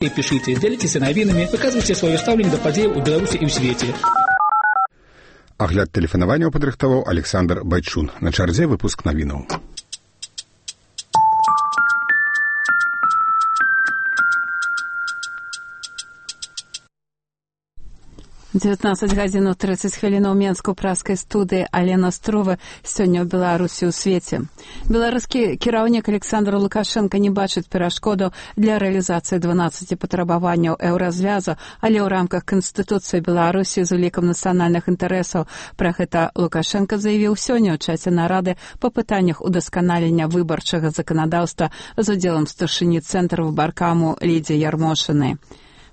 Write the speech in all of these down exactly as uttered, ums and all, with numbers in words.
Пишите, делитесь навінамі, выказвайце сваё стаўленне да падзеяў у Беларусі і ў свеце. Агляд тэлефанаванняў падрыхтаваў Александр Байчун. На чарзе выпуск навінаў. дзевятнаццаць гадзінаў трыццаць хвілінаў Менску праскай студыі Алена Струва сёння ў Беларусі ў свеце. Беларускі кіраўнік Александр Лукашенко не бачыць перашкодаў для рэалізацыі дванаццаці патрабаванняў еўразвязу, але ў рамках Канстытуцыі Беларусі з улікам нацыянальных інтарэсаў. Пра гэта Лукашенко заявіў сёння ў часе нарады па пытаннях удасканалення выбарчага заканадаўства з удзелам старшыні цэнтра выбаркаму Лідзі Ярмошынай.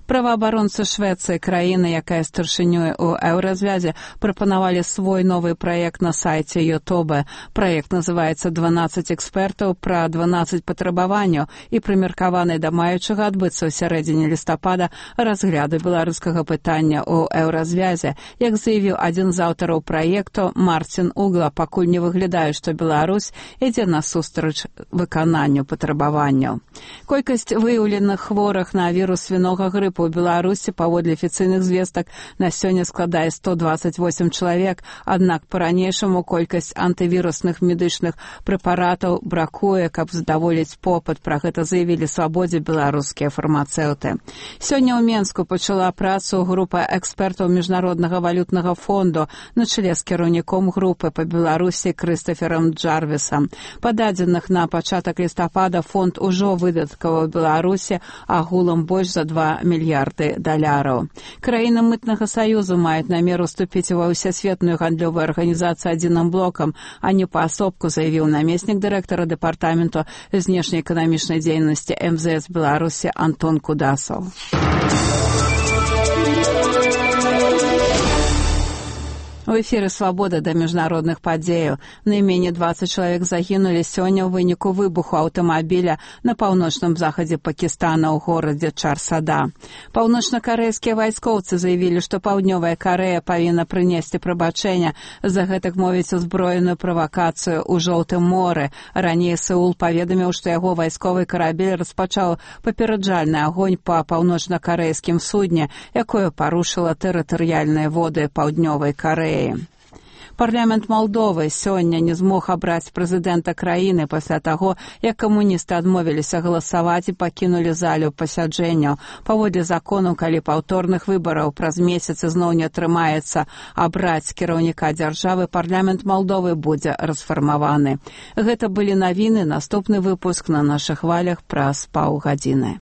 Праваабаронцы Швецыі, краіны, якая старшынёй у еўразвязе, прапанавалі свой новы праект на сайце Ютуба. Праект называецца «дванаццаць экспертаў пра дванаццаць патрабаванняў» і прымеркаваны да маючага адбыцца ў сярэдзіне лістапада разгляду беларускага пытання ў еўразвязе. Як заявіў адзін з аўтараў праекту Марцін Угла, пакуль не выглядае, што Беларусь ідзе насустрач выкананню патрабаванняў. Колькасць выяўленых хворых на вірус свінога грыпу у Беларусі паводле афіцыйных звестак на сёння складае сто дваццаць восем чалавек, аднак па-ранейшаму колькасць антывірусных медычных прэпаратаў бракуе, каб задаволіць попыт. Пра гэта заявілі Свабодзе беларускія фармацэўты. Сёння ў Менску пачала працу група экспертаў Міжнароднага валютнага фонду на чале з кіраўніком групы па Беларусі Крыстаферам Джарвісам. Па дадзеных на пачатак лістапада фонд ужо выдаткаваў Беларусі агулам больш за два мільярды даляраў. Краіны мытнага саюзу маюць намер уступіць ва ўсесветную гандлёвую арганізацыю адзіным блокам, а не паасобку, заявіў намеснік дырэктара дэпартаменту знешнеэканамічнай дзейнасці эм зэ эс Беларусі Антон Кудасаў. У эфіры «Свабода» да міжнародных падзеяў. Найменей дваццаць чалавек загінулі сёння ў выніку выбуху аўтамабіля на паўночным захадзе Пакістана ў горадзе Чар-Сада. Паўночна-карэйскія вайскоўцы заявілі, што Паўднёвая Карэя павінна прынесці прабачэнне за гэтак мовіць узброеную правакацыю ў Жоўтым моры. Раней Сеул паведаміў, што яго вайсковы карабель распачаў папераджальны агонь па паўночна-карэйскім судне, якое парушыла тэрытарыяльныя воды Паўднёвай Карэі. Парламент Малдовы сёння не змог абраць прэзідэнта краіны пасля таго, як камуністы адмовіліся галасаваць і пакінулі залю пасяджэнняў. Паводле закону, калі паўторных выбараў праз месяц зноў не атрымаецца абраць кіраўніка дзяржавы, парламент Малдовы будзе расфармаваны. Гэта былі навіны, наступны выпуск на нашых хвалях праз паўгадзіны.